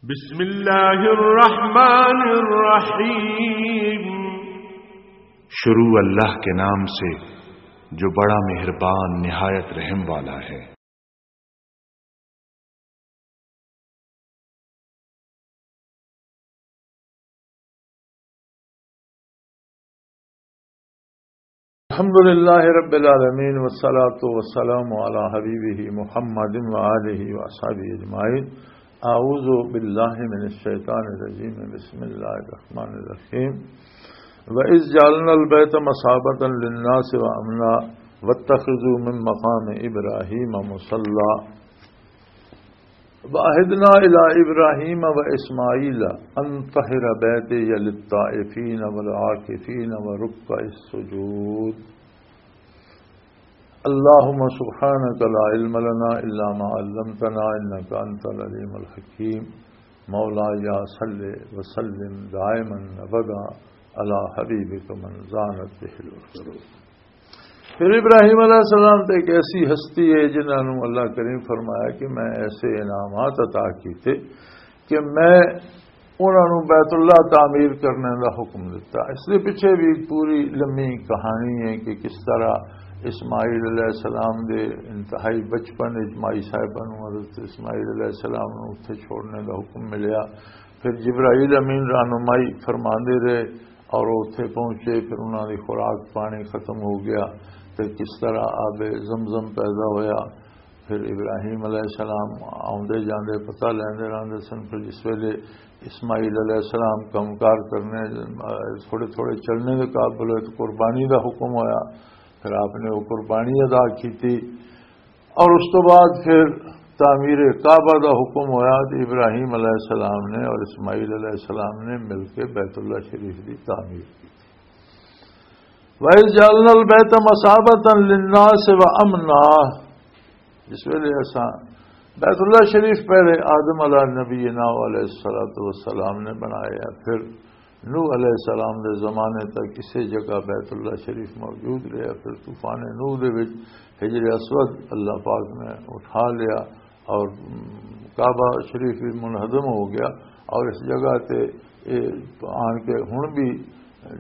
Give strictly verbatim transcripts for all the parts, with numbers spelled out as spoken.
بسم اللہ الرحمن الرحیم۔ شروع اللہ کے نام سے، جو بڑا مہربان، نہایت رحم والا ہے۔ الحمد لله رب العالمين، والصلاة والسلام على حبيبه محمد وآله وأصحابه أجمعين. أعوذ بالله من الشيطان الرجيم. بسم الله الرحمن الرحيم. وإذ جعلنا البيت مثابة للناس وأمنا واتخذوا من مقام إبراهيم مصلى. وعهدنا إلى إبراهيم وإسماعيل أن طهر بيتي للطائفين والعاكفين وركع السجود. اللهم سبحانك لا علم لنا إلا ما علمتنا إنك أنت العليم الحكيم. مولاي صل وسلم دائما أبدا على حبيبك من زانت به العيون. پھر ابراہیم علیہ السلام تے ایک ایسی ہستی ہے جنہاں نوں اللہ کریم فرمایا کہ میں ایسے انعامات عطا کیتے کہ میں انہاں نوں بیت اللہ تعمیر کرنے دا حکم دتا۔ اس دے پیچھے بھی ایک پوری لمبی کہانی ہے کہ کس طرح اسماعیل علیہ السلام دے انتہائی بچپن وچ مائی صاحبہ نوں حضرت اسماعیل علیہ السلام نوں اتھے چھوڑنے دا حکم ملیا۔ پھر جبرائیل امین رہنمائی فرماندے رہے اور وہ اتھے پہنچے، پھر انہاں دی خوراک پانی ختم ہو گیا، تے کس طرح آب زمزم پیدا ہویا۔ پھر ابراہیم علیہ السلام آوندے جاندے پتہ لیندے رہندے سن۔ پھر جس ویلے اسماعیل علیہ السلام کم کار کرنے، تھوڑے تھوڑے چلنے دے قابل ہوئے تو قربانی دا حکم ہویا۔ پھر آپ نے وہ قربانی ادا کیتی۔ اور اس تو بعد پھر تعمیر کعبہ دا حکم ہویا تے ابراہیم علیہ السلام نے اور اسماعیل علیہ السلام نے مل کے بیت اللہ شریف دی تعمیر کی۔ وَإِذْ جَعَلْنَا الْبَيْتَ مَثَابَةً لِلنَّاسِ وَأَمْنًا۔ جس ویلے اساں بیت اللہ شریف پہلے آدم علیہ نبینا علیہ الصلوۃ والسلام نے بنایا، پھر نوح علیہ السلام دے زمانے تک کسے جگہ بیت اللہ شریف موجود رہیا۔ پھر طوفان نوح دے وچ حجر اسود اللہ پاک نے اٹھا لیا اور کعبہ شریف بھی منہدم ہو گیا۔ اور اس جگہ تے آن کے ہن بھی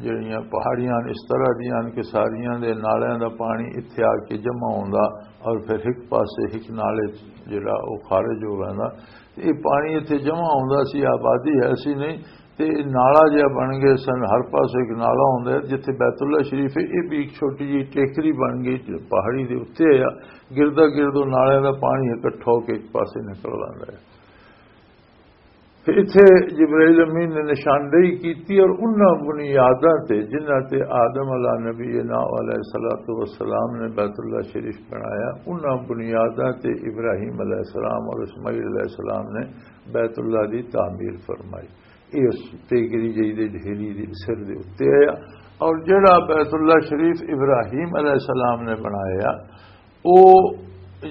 جڑیاں پہاڑیاں اس طرح دیاں کہ ساریاں دے نالیاں دا پانی اتھے آ کے جمع ہوندا اور پھر ہک پاسے ہک نالے جڑا او خارج ہو ویندا۔ تے اے پانی اتھے جمع ہوندا سی، آبادی ایسی نہیں، تے اے نالا جہا بن گئے سن۔ ہر پاسے ایک نالا ہوندا ہے۔ جتھے بیت اللہ شریف ہے، اے بھی ایک چھوٹی جہی ٹیکری بن گئی جو پہاڑی دے اُتے ہے۔ گردا گرد او نالے دا پانی اکٹھا ہو کے ایک پاسے نکل آندا ہے۔ تے اتھے جبرائیل امین نے نشاندہی کیتی اور انہاں بنیاداں تے جنہاں تے آدم علیہ نبینا علیہ الصلوۃ والسلام نے بیت اللہ شریف بنایا، انہاں بنیاداں تے ابراہیم علیہ السلام اور اسماعیل علیہ السلام نے بیت اللہ دی تعمیر فرمائی۔ یہ اس ٹیکری جئی دے ڈھیری دے سر دے اُتے آیا۔ اور جڑا بیت اللہ شریف ابراہیم علیہ السلام نے بنایا، او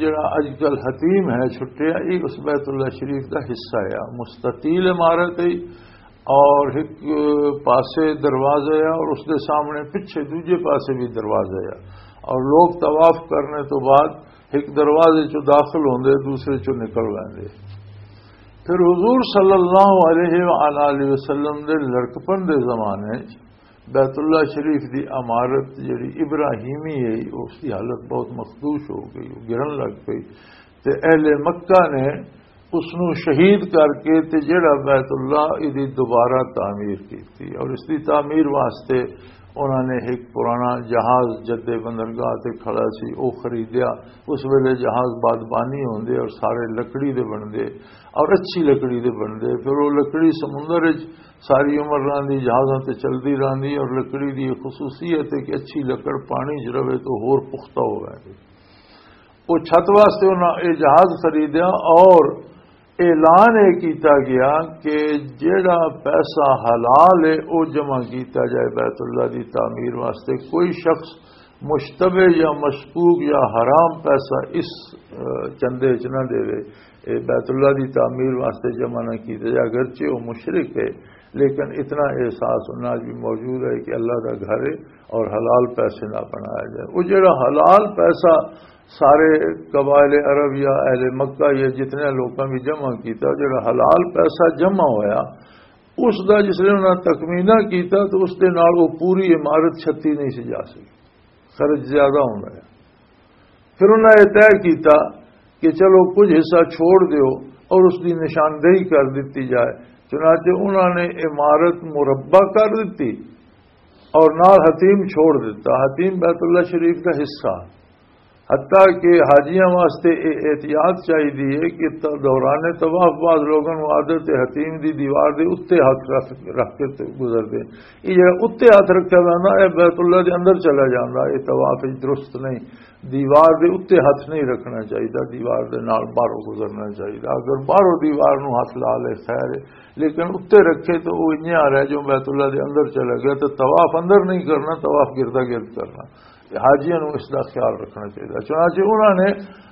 جڑا اج کل حتیم ہے چھٹیا، یہ اس بیت اللہ شریف دا حصہ ہے۔ مستطیل عمارت ہے اور ایک پاسے دروازہ ہے اور اس دے سامنے پچھے دوجے پاسے بھی دروازہ ہے۔ اور لوگ طواف کرنے تو بعد ایک دروازے چوں داخل ہوندے، دوسرے چوں نکل ویندے۔ پھر حضور صلی اللہ علیہ وآلہ وسلم دے لڑکپن دے زمانے بیت اللہ شریف دی عمارت جڑی ابراہیمی ہے، اس دی حالت بہت مخدوش ہو گئی، وہ گرن لگ پئی۔ تے اہل مکہ نے اس نو شہید کر کے تے جڑا بیت اللہ دی دوبارہ تعمیر کیتی اور اس دی تعمیر واسطے انہاں نے ایک پرانا جہاز جدے بندرگاہ تے کھڑا سی، او خریدیا۔ اس ویلے جہاز بادبانی ہوندے اور سارے لکڑی دے بندے اور اچھی لکڑی دے بندے۔ پھر وہ لکڑی سمندر وچ ساری عمر رہندی، جہازاں تے چلدی رہندی اور لکڑی دی یہ خصوصیت ہے کہ اچھی لکڑ پانی چ رہے تو ہور پختہ ہو ویندی۔ وہ چھت واسطے انہاں یہ جہاز خریدیا اور اعلان یہ کیتا گیا کہ جیڑا پیسہ حلال ہے، وہ جمع کیتا جائے بیت اللہ دی تعمیر واسطے۔ کوئی شخص مشتبہ یا مشکوک یا حرام پیسہ اس، اہ، چندے وچ نہ دے۔ اے بیت اللہ دی تعمیر واسطے جمع نہ کیتے جا، اگرچہ وہ مشرک ہے، لیکن اتنا احساس انہاں وچ بھی موجود ہے کہ اللہ دا گھر ہے اور حلال پیسے نہ بنایا جائے۔ وہ جڑا حلال پیسہ سارے قبائل عرب یا اہل مکہ یا جتنے لوکاں بھی جمع کیتا، جڑا حلال پیسہ جمع ہویا، اس دا جس نے انہاں تخمینہ کیتا تو اس دے نال وہ پوری عمارت چھتی نہیں سی جا سکی، خرچ زیادہ ہوندا ہے۔ پھر انہاں یہ طے کیتا کہ چلو کچھ حصہ چھوڑ دیو اور اس دی نشاندہی کر دتی جائے۔ چنانچہ انہاں نے عمارت مربع کر دتی اور نال حتیم چھوڑ دتا۔ حتیم بیت اللہ شریف کا حصہ، حتیٰ کہ حاجیاں واسطے یہ احتیاط چاہیے کہ ت-، دوران طواف بعض لوگوں کو عادت ہے حتیم دی دیوار دے اتنے ہاتھ رکھ، رکھ کے تے گزر دے۔ یہ جڑا اتنے ہاتھ رکھا جانا، یہ بیت اللہ دے اندر چلا جانا، یہ طواف وچ درست نہیں۔ دیوار دے اتنے ہاتھ نہیں رکھنا چاہیے، دیوار دے نال باہروں گزرنا چاہیے۔ اگر باہروں دیوار نو ہاتھ لا لے خیر ہے، لیکن اتنے رکھے تو وہ انجے آ رہا ہے جو بیت اللہ دے اندر چلا گیا، تو طواف اندر نہیں کرنا، طواف گردا گرد کرنا۔ حاجیاں نوں اس دا خیال رکھنا چاہیے۔ چنانچہ انہاں نے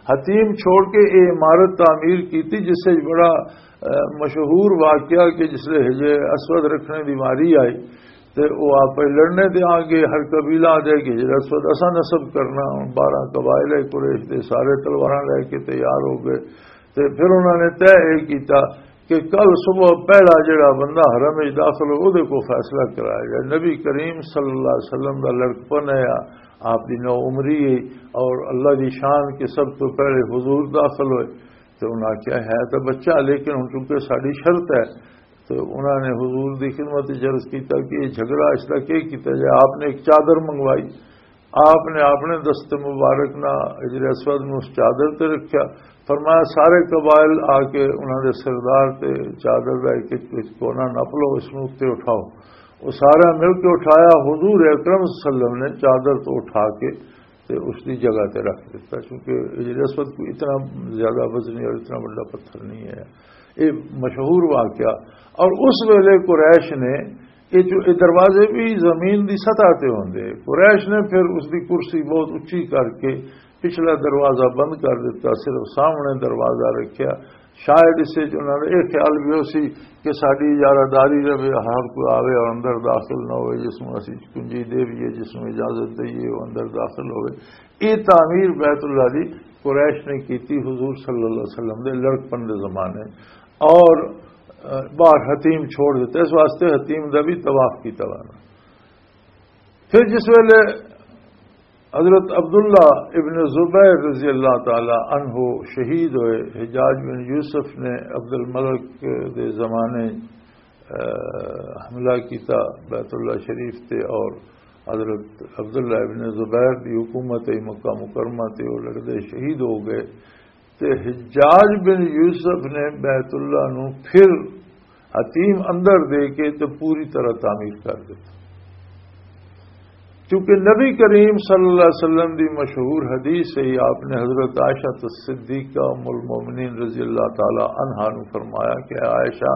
حتیم چھوڑ کے یہ عمارت تعمیر کی تھی، جس سے بڑا، اہ، مشہور واقعہ کہ جس لے حجر اسود رکھنے دی واری آئی تے وہ آپ لڑنے تے آ گئے، ہر قبیلہ آ جائے کہ حجر اسود اساں نصب کرنا۔ ہن بارہ قبائل قریش دے سارے تلواراں لے کے تیار ہو گئے۔ تے پھر انہاں نے طے یہ کیتا کہ کل صبح پہلا جڑا بندہ حرم وچ داخل ہو، اودے کو فیصلہ کرایا جائے۔ نبی کریم صلی اللہ علیہ وسلم دا لڑکپن ہے، آپ دی نو عمری ہے، اور اللہ دی شان کہ سب تو پہلے حضور داخل ہوئے۔ تو انہاں کیا ہے تو بچہ، لیکن ہن چونکہ ساڈی شرط ہے، تو انہاں نے حضور دی خدمت وچ عرض کیتا کہ یہ جھگڑا اس دا کی کیتا جائے؟ آپ نے ایک چادر منگوائی، آپ نے اپنے دست مبارک نال حجر اسود نوں اس چادر تے رکھیا۔ فرمایا، سارے قبائل آ کے انہاں دے سردار تے چادر دا ایک ایک کونا نپ لو، اس نوں اتنے اٹھاؤ۔ وہ سارا مل کے اٹھایا۔ حضور اکرم صلی اللہ علیہ وسلم نے چادر تو اٹھا کے تے اس دی جگہ تے رکھ دیتا، کیونکہ حجر اسود کوئی اتنا زیادہ وزنی اور اتنا بڑا پتھر نہیں ہے۔ یہ مشہور واقعہ۔ اور اس ویلے قریش نے، یہ جو یہ دروازے بھی زمین دی سطح تے ہوندے، قریش نے پھر اس دی کرسی بہت اچھی کر کے پچھلا دروازہ بند کر دیتا، صرف سامنے دروازہ رکھیا۔ شاید اس سے انہوں نے یہ خیال بھی ہو سی کہ ساڈی اجارہ داری رہے، ہر کوئی آوے اور اندر داخل نہ ہوئے، جس میں اسی کنجی دے بھی ہے، جس میں اجازت دئیے، وہ اندر داخل ہوئے۔ یہ تعمیر بیت اللہ دی قریش نے کی تھی حضور صلی اللہ علیہ وسلم دے لڑکپن دے زمانے، اور، آ، باہر حتیم چھوڑ دیتے، اس واسطے حتیم دا بھی طواف کیتا لانا۔ پھر جس ویلے حضرت عبداللہ ابن زبیر رضی اللہ تعالی عنہ شہید ہوئے، حجاج بن یوسف نے عبد الملک دے زمانے، آ، حملہ کیتا بیت اللہ شریف تے، اور حضرت عبداللہ ابن زبیر دی حکومت ہے مکہ مکرمہ تے، وہ لڑدے شہید ہو گئے۔ تے حجاج بن یوسف نے بیت اللہ نو پھر حتیم اندر دے کے تے پوری طرح تعمیر کر دتا۔ کیونکہ نبی کریم صلی اللہ علیہ وسلم دی مشہور حدیث ہے، آپ نے حضرت عائشہ صدیقہ ام المومنین رضی اللہ تعالی عنہا نو فرمایا کہ عائشہ،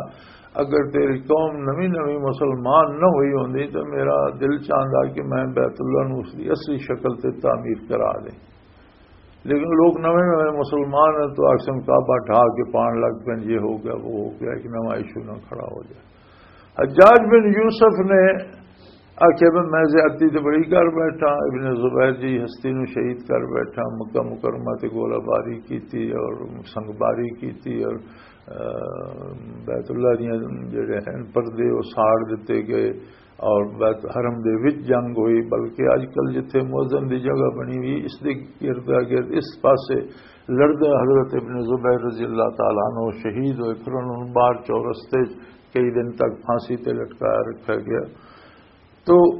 اگر تیری قوم نوی نوی مسلمان نہ ہوئی ہوندی تو میرا دل چاہندا کہ میں بیت اللہ نو اس دی اصلی شکل تے تعمیر کرا دیں۔ لیکن لوگ نویں نویں مسلمان ہیں تو آخسن کعبہ ڈھا کے پان لگ پین، یہ ہو گیا، وہ ہو گیا، ایک نواں ایشو نہ کھڑا ہو جائے۔ حجاج بن یوسف نے آخیا، "میں زیادتی تے بڑی کر بیٹھا، ابن زبیر جی ہستی نو شہید کر بیٹھا، مکہ مکرمہ تے گولہ باری کیتی اور سنگ باری کیتی اور، آ، بیت اللہ دیاں جڑے ہیں پردے وہ ساڑ دتے گئے اور بیت حرم دے وچ جنگ ہوئی، بلکہ اج کل جتھے مؤذن دی جگہ بنی ہوئی، اس دے ارد گرد اس پاسے لڑدے حضرت ابن زبیر رضی اللہ تعالیٰ عنہ شہید ہوئے، پھر انہوں نے باہر چورستے کئی دن تک پھانسی تے لٹکایا رکھا گیا۔" تو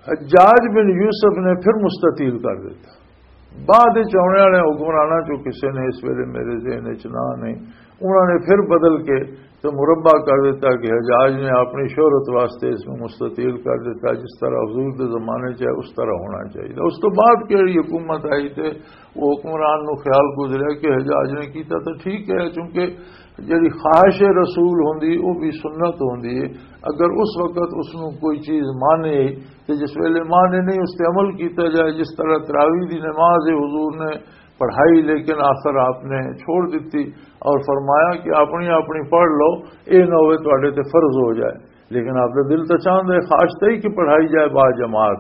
حجاج بن یوسف نے پھر مستطیل کر دیتا۔ بعد وچ آنے والے حکمراناں چوں کسے نے، اس ویلے میرے ذہن وچ نہ نہیں، انہوں نے پھر بدل کے تو مربع کر دیتا کہ حجاج نے اپنی شہرت واسطے اس میں مستطیل کر دیتا، جس طرح حضور دے زمانے چ ہے اس طرح ہونا چاہیے۔ اس تو بعد کہڑی حکومت آئی تے وہ حکمران نو خیال گزریا کہ حجاج نے کیتا تو ٹھیک ہے، چونکہ جڑی خواہش رسول ہوندی، وہ بھی سنت ہوندی ہے۔ اگر اس وقت اس نو کوئی چیز مانے، تے جس ویلے مانے نہیں، اس تے عمل کیتا جائے۔ جس طرح تراویح دی نماز ہے، حضور نے پڑھائی، لیکن آخر آپ نے چھوڑ دیتی اور فرمایا کہ اپنی اپنی پڑھ لو، اے نہ ہوئے تواڈے تے فرض ہو جائے۔ لیکن آپ کا دل تو چاہتا ہے، خواہش تو ہی کہ پڑھائی جائے با جماعت۔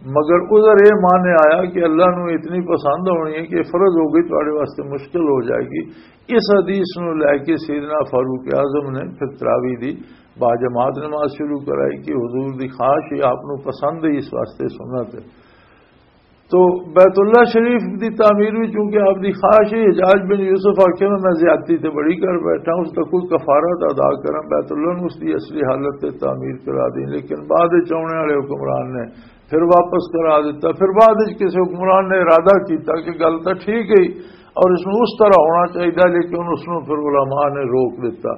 مگر عذر یہ مانے آیا کہ اللہ نو اتنی پسند ہونی ہے کہ فرض ہو گئی، تہاڈے واسطے مشکل ہو جائے گی۔ اس حدیث نو لے کے سیدنا فاروق اعظم نے پھر تراویح دی با جماعت نماز شروع کرائی کہ حضور دی خواہش ہے، آپ نو پسند ہے، اس واسطے سنت ہے۔ تو بیت اللہ شریف دی تعمیر بھی چونکہ آپ دی خواہش ہے، حجاج بن یوسف آکھے میں، میں زیادتی تے بڑی کر بیٹھا، اس دا کوئی کفارہ تے ادا کراں، بیت اللہ نو اس دی اصلی حالت تے تعمیر کرا دیں، لیکن بعد وچ آنے والے حکمران نے پھر واپس کرا دیتا۔ پھر بعد وچ کسی حکمران نے ارادہ کیتا کہ گل تاں ٹھیک ہے اور اس نو اس طرح ہونا چاہیے، لیکن اس نو پھر علماء نے روک دیتا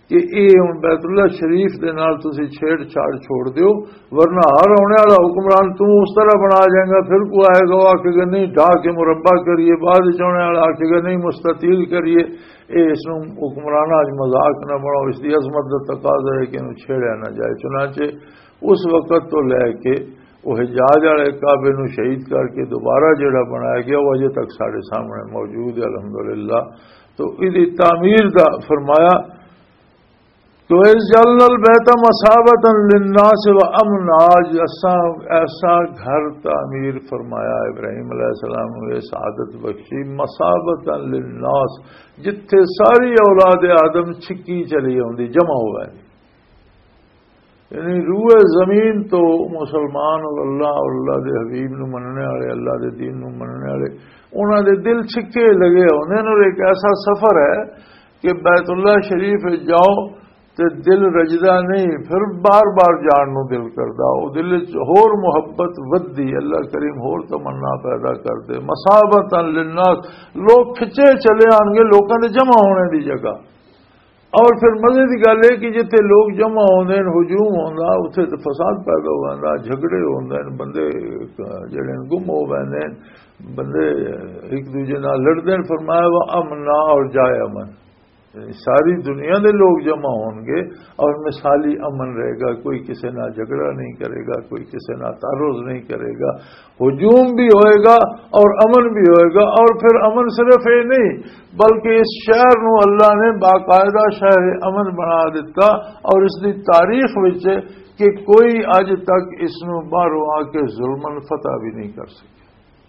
کہ اے ہن بیت اللہ شریف دے نال تسی چھیڑ چھاڑ چھوڑ دیو، ورنہ ہر آنے والا حکمران توں اس طرح بنا جائے گا، پھر کوئی آئے گا، وہ آکھے گا نہیں، ڈھا کے مربع کریے، بعد وچ آنے والا آکھے گا نہیں، مستطیل کریے۔ اے اس نوں حکمراناں اچ مذاق نہ بناؤ، اس دی عظمت دا تقاضا ہے کہ انہوں چھیڑیا نہ جائے۔ چنانچہ اس وقت تو لے کے وہ حجاز والے کعبے نوں شہید کر کے دوبارہ جڑا بنایا گیا، وہ اجے تک ساڈے سامنے موجود ہے، الحمدللہ۔ تو اس دی تعمیر دا فرمایا، تو اس جعلنا البیت مثابۃ للناس و امنا، آج اساں ایسا گھر تعمیر فرمایا، ابراہیم علیہ السلام نوں یہ سعادت بخشی، مثابۃ للناس، جتھے ساری اولاد آدم چھکی چلی آوندی، جمع ہو گئے۔ یعنی روئے زمین تو مسلمان اور اللہ اور اللہ دے حبیب نو مننے والے، اللہ دے دین نو مننے والے، انہاں دے دل چھکے لگے ہوندے نے۔ اور ایک ایسا سفر ہے کہ بیت اللہ شریف جاؤ تے دل رجدا نہیں، پھر بار بار جان نو دل کردا۔ او دل وچ ہور محبت ودی، اللہ کریم ہور تمنا پیدا کر دے۔ مثابۃ للناس، لوگ کھچے چلے آن گے لوکاں دے جمع ہونے دی جگہ۔ اور پھر مزے دی گل ہے کہ جتھے لوگ جمع ہوندے نے، ہجوم ہوندا، اتھے تے فساد پیدا ہوندا، جھگڑے ہوندے نے، بندے جڑے نے گم ہو ویندے نے، بندے ایک دوجے نال لڑدے نے۔ فرمایا، "وہ امنا"، اور جائے امن۔ یعنی ساری دنیا دے لوگ جمع ہون گے اور مثالی امن رہے گا، کوئی کسے نال جھگڑا نہیں کرے گا، کوئی کسے نال تعرض نہیں کرے گا، ہجوم بھی ہوئے گا اور امن بھی ہوئے گا۔ اور پھر امن صرف یہ نہیں، بلکہ اس شہر نو اللہ نے باقاعدہ شہر امن بنا دیتا، اور اس دی تاریخ وچ کہ کوئی اج تک اس نو باہروں آ کے ظلمن فتح بھی نہیں کر سکے۔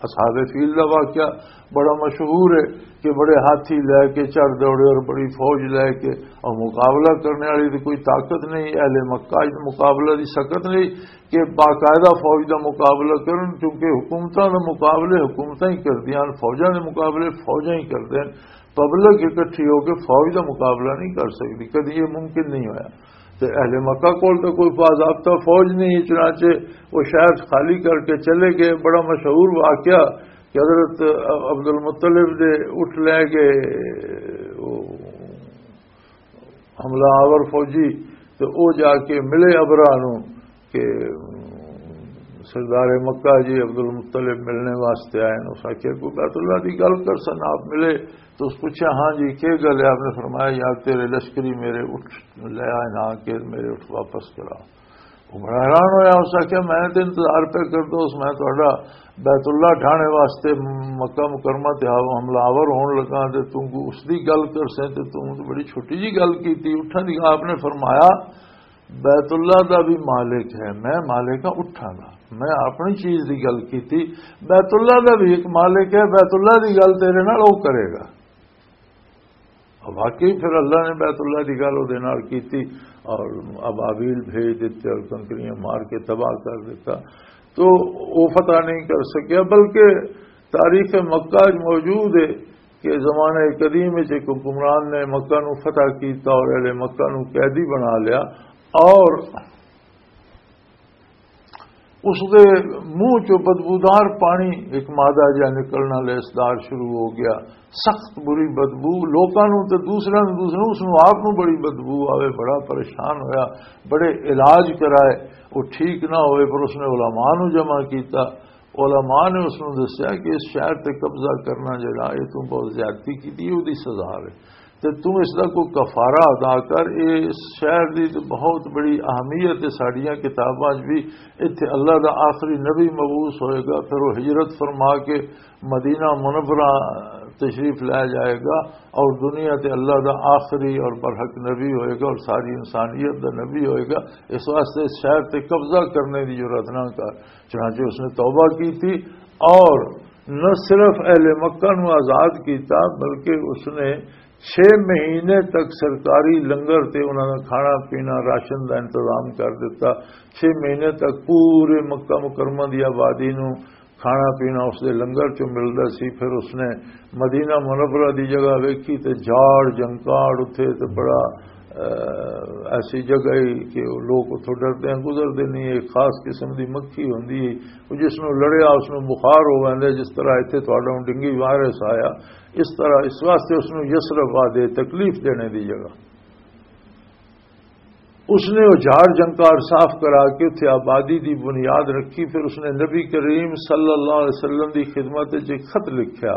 اصحاب فیل دا واقعہ بڑا مشہور ہے کہ بڑے ہاتھی لے کے چڑھ دوڑے اور بڑی فوج لے کے، اور مقابلہ کرنے والی تو کوئی طاقت نہیں، اہل مکہ اچ مقابلہ دی سکت نہیں کہ باقاعدہ فوج دا مقابلہ کرن، کیونکہ حکومتاں دے مقابلے حکومتاں ہی کردیاں ہن، فوجاں دے مقابلے فوجاں ہی کردے ہن۔ پبلک اکٹھی ہو کے فوج دا مقابلہ نہیں کر سکدی، کدی یہ ممکن نہیں ہویا۔ تے اہل مکہ کول تے کوئی باضابطہ فوج نہیں، چنانچہ وہ شہر خالی کر کے چلے گئے۔ بڑا مشہور واقعہ کہ حضرت عبد المطلب دے اٹھ لے گئے، وہ حملہ آور فوجی، تے او جا کے ملے ابرا نو کہ سردار مکہ جی عبد المطلب ملنے واسطے آئے نے۔ اس آخیا، "کوئی بیت اللہ دی گل کر سن۔" آپ ملے تو اس پوچھا، "ہاں جی، کی گل ہے؟" آپ نے فرمایا، "یار، تیرے لشکری میرے اٹھ لے آئے نا کہ میرے اٹھ واپس کرا۔" وہ بڑا حیران ہویا، اس آخیا، "میں تے انتظار پہ کردا اس، میں تہاڈا بیت اللہ ڈھانے واسطے مکہ مکرمہ تے حملہ آور ہون لگا تے توں اس دی گل کر سیں تے توں تے بڑی چھوٹی جی گل کیتی۔" اٹھاں دی آپ نے فرمایا، "بیت اللہ دا بھی مالک ہے، میں مالک ہاں اٹھاں دا، میں اپنی چیز دی گل کیتی، بیت اللہ دا بھی ایک مالک ہے، بیت اللہ دی گل تیرے نال او کرے گا۔" واقعی پھر اللہ نے بیت اللہ دی گل اودے نال کیتی اور ابابیل بھیج دیتے اور کنکریاں مار کے تباہ کر دیتا۔ تو وہ فتح نہیں کر سکیا، بلکہ تاریخ مکہ وچ موجود ہے کہ زمانہ قدیم وچ ایک حکمران نے مکہ نو فتح کیتا اور اہل مکہ نو قیدی بنا لیا اور اس دے منہ چوں بدبودار پانی، ایک مادہ جہا نکلنا، لسدار شروع ہو گیا، سخت بری بدبو۔ لوکاں نوں تے دوسرے نوں، دوسرے نوں، اس نوں آپ نوں بڑی بدبو آوے، بڑا پریشان ہویا، بڑے علاج کرائے، وہ ٹھیک نہ ہوئے، پر اس نے علماء نوں جمع کیتا۔ علماء نے اس نوں دسیا کہ اس شہر تے قبضہ کرنا جڑا، یہ تو بہت زیادتی کیتی، یہ اودی سزا ہے۔ تے توں اس دا کوئی کفارہ ادا کر۔ اے اس شہر دی تے بہت بڑی اہمیت ہے ساڈیاں کتاباں 'چ بھی۔ اتھے اللہ دا آخری نبی مبعوث ہوئے گا، پھر وہ ہجرت فرما کے مدینہ منورہ تشریف لایا جائے گا، اور دنیا تے اللہ دا آخری اور برحق نبی ہوئے گا اور ساری انسانیت دا نبی ہوئے گا۔ اس واسطے اس شہر تے قبضہ کرنے دی جرات نہ کر۔ چنانچہ اس نے توبہ کی تھی اور نہ صرف اہل مکہ نو آزاد کیتا، بلکہ اس نے چھ مہینے تک سرکاری لنگر تے انہاں دا کھانا پینا، راشن دا انتظام کر دتا۔ چھ مہینے تک پورے مکہ مکرمہ دی آبادی نو کھانا پینا اس دے لنگر چوں ملدا سی۔ پھر اس نے مدینہ منورہ دی جگہ ویکھی تے جھاڑ جنکاڑ اتھے تے بڑا، اہ، ایسی جگہ ہی کہ لوگ اتھوں ڈردے ہیں، گزردے نہیں۔ ایک خاص قسم دی مکھی ہوندی ہے، وہ جس نوں لڑیا اس نوں بخار ہو ویندا ہے، جس طرح اتھے تہاڈا ہن ڈینگی وائرس آیا، اس طرح اس واسطے اس نوں یثرب آدھے، تکلیف دینے دی جگہ۔ اس نے وہ جھاڑ جنکار صاف کرا کے اتھے آبادی دی بنیاد رکھی۔ پھر اس نے نبی کریم صلی اللہ علیہ وسلم دی خدمت وچ ایک خط لکھیا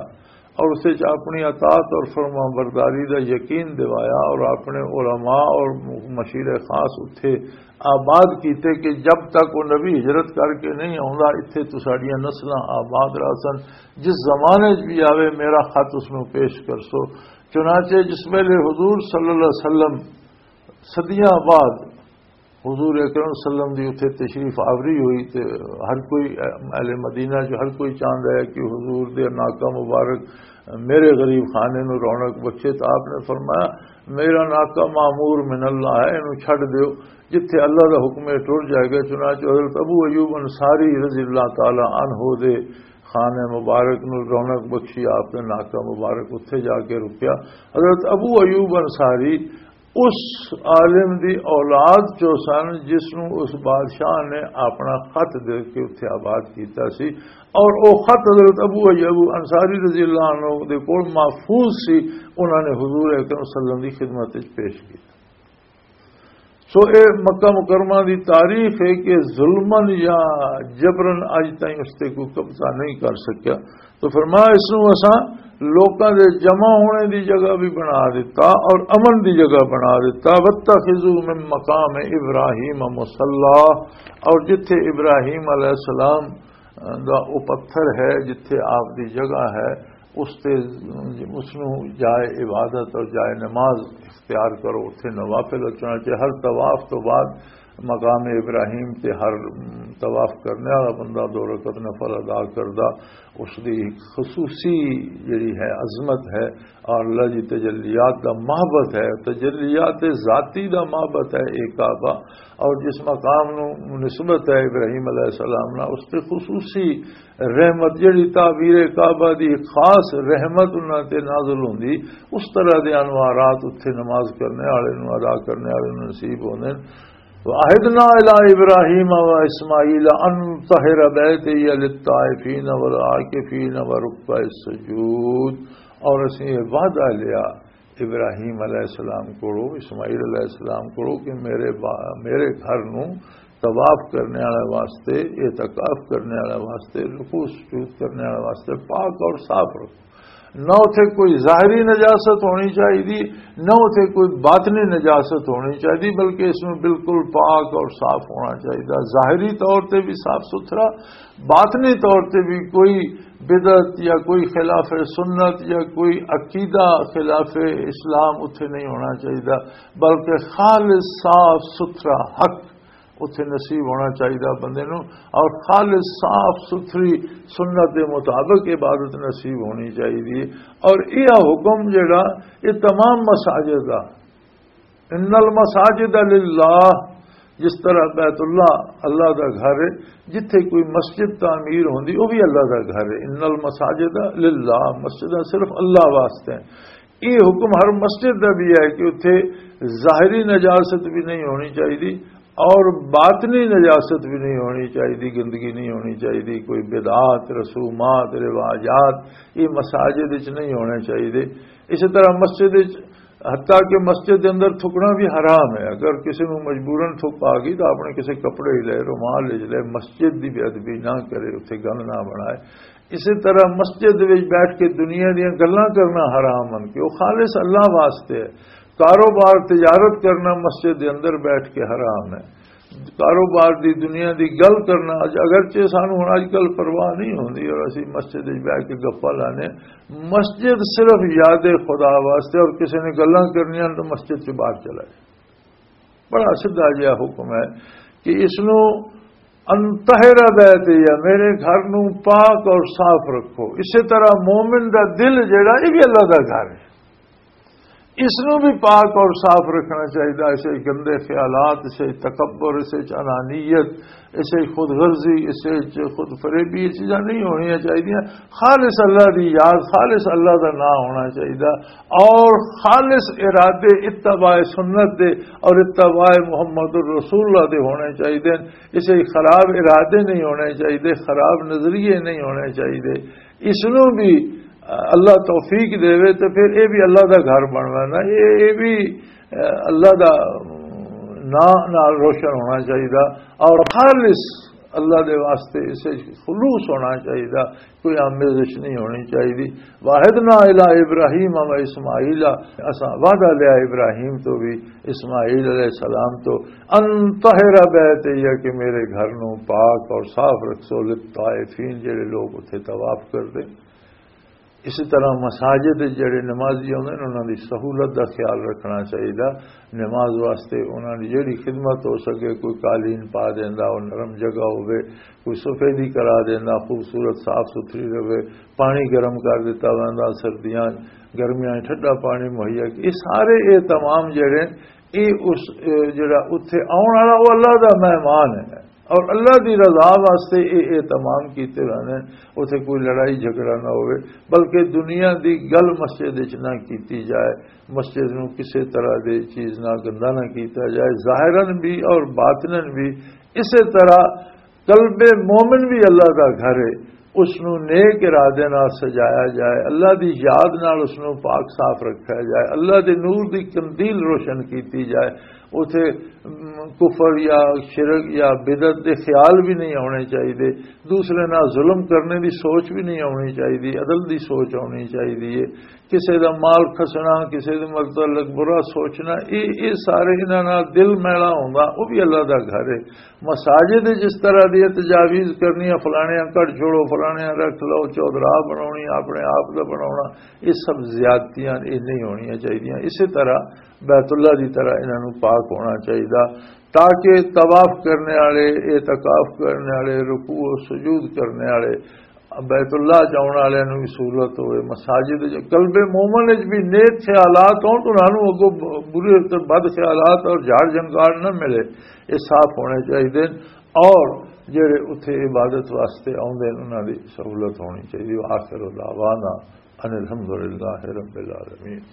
اور اس وچ اپنی اطاعت اور فرما برداری دا یقین دوایا اور اپنے علماء اور مشیر خاص اتھے آباد کیتے کہ جب تک وہ نبی ہجرت کر کے نہیں آوندا، اتھے تو ساڈیاں نسلاں آباد رہسن۔ جس زمانے 'چ بھی آوے، میرا خط اس نوں پیش کرسو۔ چنانچہ جس ویلے حضور صلی اللہ علیہ وسلم صدیاں بعد حضور اکرم صلی اللہ علیہ وسلم دی اتھے تشریف آوری ہوئی تے ہر کوئی، اہل مدینہ جو ہر کوئی چاہندا ہے کہ حضور دے ناکا مبارک میرے غریب خانے نو رونق بخشے، تو آپ نے فرمایا، "میرا ناکا مامور من اللہ ہے، اینو چھڈ دیو، جتھے اللہ دا حکم ہے ٹر جائے گا۔" چنانچہ حضرت ابو ایوب انصاری رضی اللہ تعالی عنہ دے خانے مبارک نو رونق بخشی، آپ نے ناکا مبارک اتھے جا کے رکیا۔ حضرت ابو ایوب انصاری اس عالم دی اولاد چوں سن جس نوں اس بادشاہ نے اپنا خط دے کے اتھے آباد کیتا سی، اور او خط حضرت ابو ایوب انصاری رضی اللہ عنہ دے کول محفوظ سی، انہاں نے حضور اکرم صلی اللہ علیہ وسلم دی خدمت وچ پیش کیتا۔ سو اے مکہ مکرمہ دی تاریخ ہے کہ ظلمن یا جبرن اج تائیں اس تے کوئی قبضہ نہیں کر سکیا۔ تو فرمایا، اس نوں اساں لوکاں دے جمع ہونے دی جگہ بھی بنا دیتا اور امن دی جگہ بنا دیتا۔ "واتخذوا من مقام ابراہیم مصلی"، اور جتھے ابراہیم علیہ السلام دا او پتھر ہے، جتھے آپ دی جگہ ہے، اس تے، اس نوں جائے عبادت اور جائے نماز اختیار کرو، اتھے نوافل اچھنا چاہیے۔ ہر طواف تو بعد مقام ابراہیم تے ہر، م، طواف کرنے والا بندہ دو رکعت نفل ادا کردا، اس دی ایک خصوصی جڑی ہے عظمت ہے، اور اللہ دی تجلیات دا محبت ہے، تجلیات ذاتی دا محبت ہے ایک کعبہ، اور جس مقام نو نسبت ہے ابراہیم علیہ السلام نا، اس تے خصوصی رحمت، جڑی تعبیر کعبہ دی خاص رحمت انہاں تے نازل ہوندی، اس طرح دے انوارات اتھے نماز کرنے والے نوں، ادا کرنے والے نوں نصیب ہوندے نے۔ "وعہدنا الی ابراہیم و اسماعیل ان طہر بیتی للطائفین والعاکفین ورکع السجود"، اور اسیں یہ وعدہ لیا ابراہیم علیہ السلام کولو، اسماعیل علیہ السلام کولو کہ میرے با-، میرے گھر نو طواف کرنے والے واسطے، اعتکاف کرنے والے واسطے، رکوع سجود کرنے والے واسطے پاک اور صاف رکھو۔ نہ اتھے کوئی ظاہری نجاست ہونی چاہیے، نہ اتھے کوئی باطنی نجاست ہونی چاہیے، بلکہ اس میں بالکل پاک اور صاف ہونا چاہیے۔ ظاہری طور تے بھی صاف ستھرا، باطنی طور تے بھی کوئی بدعت یا کوئی خلاف سنت یا کوئی عقیدہ خلاف اسلام اتھے نہیں ہونا چاہیے، بلکہ خالص صاف ستھرا حق اتھے نصیب ہونا چاہیے بندے نوں، اور خالص صاف ستھری سنت دے مطابق عبادت نصیب ہونی چاہیے۔ اور یہ حکم جڑا، یہ تمام مساجد دا، "ان المساجد للہ"، جس طرح بیت اللہ اللہ دا گھر ہے، جتھے کوئی مسجد تعمیر ہوندی، وہ بھی اللہ دا گھر ہے۔ "ان المساجد للہ"، مسجداں صرف اللہ واسطے ہیں۔ یہ حکم ہر مسجد دا بھی ہے کہ اتھے ظاہری نجاست بھی نہیں ہونی چاہیے اور باطنی نجاست بھی نہیں ہونی چاہیے، گندگی نہیں ہونی چاہیے، کوئی بدعات، رسومات، رواجات یہ مساجد وچ نہیں ہونے چاہیے۔ اسی طرح مسجد وچ، حتیٰ کہ مسجد دے اندر تھکنا بھی حرام ہے۔ اگر کسی نوں مجبوراً تھک آ گئی تو اپنے کسی کپڑے لے، رومال لے، مسجد دی بے ادبی نہ کرے، اتھے گند نہ بنائے۔ اسی طرح مسجد وچ بیٹھ کے دنیا دیاں گلاں کرنا حرام ہن کہ وہ خالص اللہ واسطے ہے۔ کاروبار، تجارت کرنا مسجد دے اندر بیٹھ کے حرام ہے۔ کاروبار دی، دنیا دی گل کرنا، اج اگرچہ سانو ہن اج کل پرواہ نہیں ہوندی اور اسی مسجد وچ بیٹھ کے گپاں لانے، مسجد صرف یاد خدا واسطے، اور کسی نے گلاں کرنیاں تو مسجد سے باہر چلا جائے۔ بڑا سیدھا جہا حکم ہے کہ اس نو انطہر بیتی، یا میرے گھر نو پاک اور صاف رکھو۔ اسی طرح مومن دا دل جڑا، یہ بھی اللہ دا گھر ہے، اس نو بھی پاک اور صاف رکھنا چاہیے۔ اسے گندے خیالات، اسے تکبر، اسے انانیت، اسے خود غرضی، اسے خود فریبی، یہ چیزاں نہیں ہونی چاہیے۔ خالص اللہ دی یاد، خالص اللہ دا نام ہونا چاہیے، اور خالص ارادے اتباع سنت دے اور اتباع محمد الرسول اللہ دے ہونے چاہیے۔ اسے خراب ارادے نہیں ہونے چاہیے، خراب نظریے نہیں ہونے چاہیے۔ اس نو بھی اللہ توفیق دے، تو پھر یہ بھی اللہ دا گھر بننا نا، یہ یہ بھی اللہ دا نام نال روشن ہونا چاہیے، اور خالص اللہ دے واسطے اسے خلوص ہونا چاہیے، کوئی آمیزش نہیں ہونی چاہیے۔ واحد نہ الا ابراہیم و اسماعیل، اساں وعدہ لیا ابراہیم تو بھی، اسماعیل علیہ السلام تو، ان طہر بیتی، کہ میرے گھر نو پاک اور صاف رکھسو، للطائفین، جڑے لوگ اتھے طواف کردے۔ اسی طرح مساجد وچ جڑے نمازی ہوندے نے، انہاں دی سہولت دا خیال رکھنا چاہیدا۔ نماز واسطے انہاں دی جڑی خدمت ہو سکے، کوئی قالین پا دیندا، او نرم جگہ ہوے، کوئی سفیدی کرا دیندا، خوبصورت صاف ستھری رہے، پانی گرم کر دیتا ویندا، سردیاں گرمیاں ٹھنڈا پانی مہیا۔ یہ سارے اہتمام جڑے، یہ اس، اے، جڑا اتھے آؤن والا، وہ اللہ دا مہمان ہے۔ اور اللہ دی رضا واسطے اے اہتمام کیتے ہوئے نے۔ اتھے کوئی لڑائی جھگڑا نہ ہوئے، بلکہ دنیا دی گل مسجد وچ نہ کیتی جائے، مسجد نو کسے طرح دے چیز نہ گندا نہ کیتا جائے، ظاہراً بھی اور باطناً بھی۔ اسے طرح قلب مومن بھی اللہ دا گھر ہے، اس نو نیک ارادے نال سجایا جائے، اللہ دی یاد نال اس نو پاک صاف رکھا جائے، اللہ دے نور دی قندیل روشن کیتی جائے۔ اتے کفر یا شرک یا بدعت دے خیال بھی نہیں ہونے چاہیے، دوسرے نال ظلم کرنے دی سوچ بھی نہیں ہونی چاہیے، عدل دی سوچ ہونی چاہیے۔ کسے دا مال کھسنا، کسے دے متعلق برا سوچنا، یہ یہ سارے انہاں نال دل میلا ہوندا، وہ بھی اللہ دا گھر ہے۔ مساجد جس طرح دی تجاویز کرنی ہے، فلانیاں کڈ چھوڑو، فلانیاں رکھ لو، چودراہ بناونی، اپنے آپ دا بناونا، یہ سب زیادتیاں، یہ نہیں ہونیاں چاہیدیاں۔ اسی طرح بیت اللہ دی طرح انہاں نوں پاک ہونا چاہیدا، تاکہ طواف کرنے والے، اعتکاف کرنے والے، رکوع و سجود کرنے والے، بیت اللہ جاؤن والے نوں بھی سہولت ہوئے۔ مساجد جو قلب مومن وچ بھی نیک خیالات ہون تو انہاں نوں اگوں برے تے بد خیالات اور جھاڑ جھنکار نہ ملے، یہ صاف ہونے چاہیے۔ اور جڑے اتھے عبادت واسطے آوندے نے، انہاں دی سہولت ہونی چاہیے۔ وآخر دعوانا ان الحمدللہ رب العالمین۔